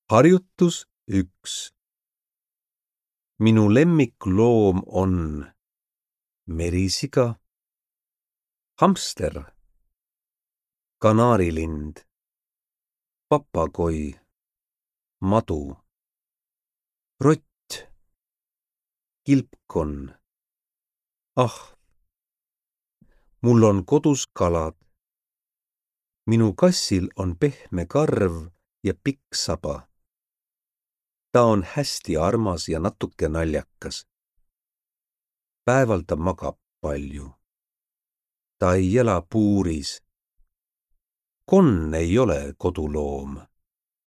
Harjutus 1. Minu lemmikloom on merisiga, hamster, kanaarilind, papagoi, madu, rott, kilpkonn, ahv. Mul on kodus kalad. Minu kassil on pehme karv ja pikk saba. Ta on hästi armas ja natuke naljakas. Päeval ta magab palju. Ta ei ela puuris. Konn ei ole koduloom.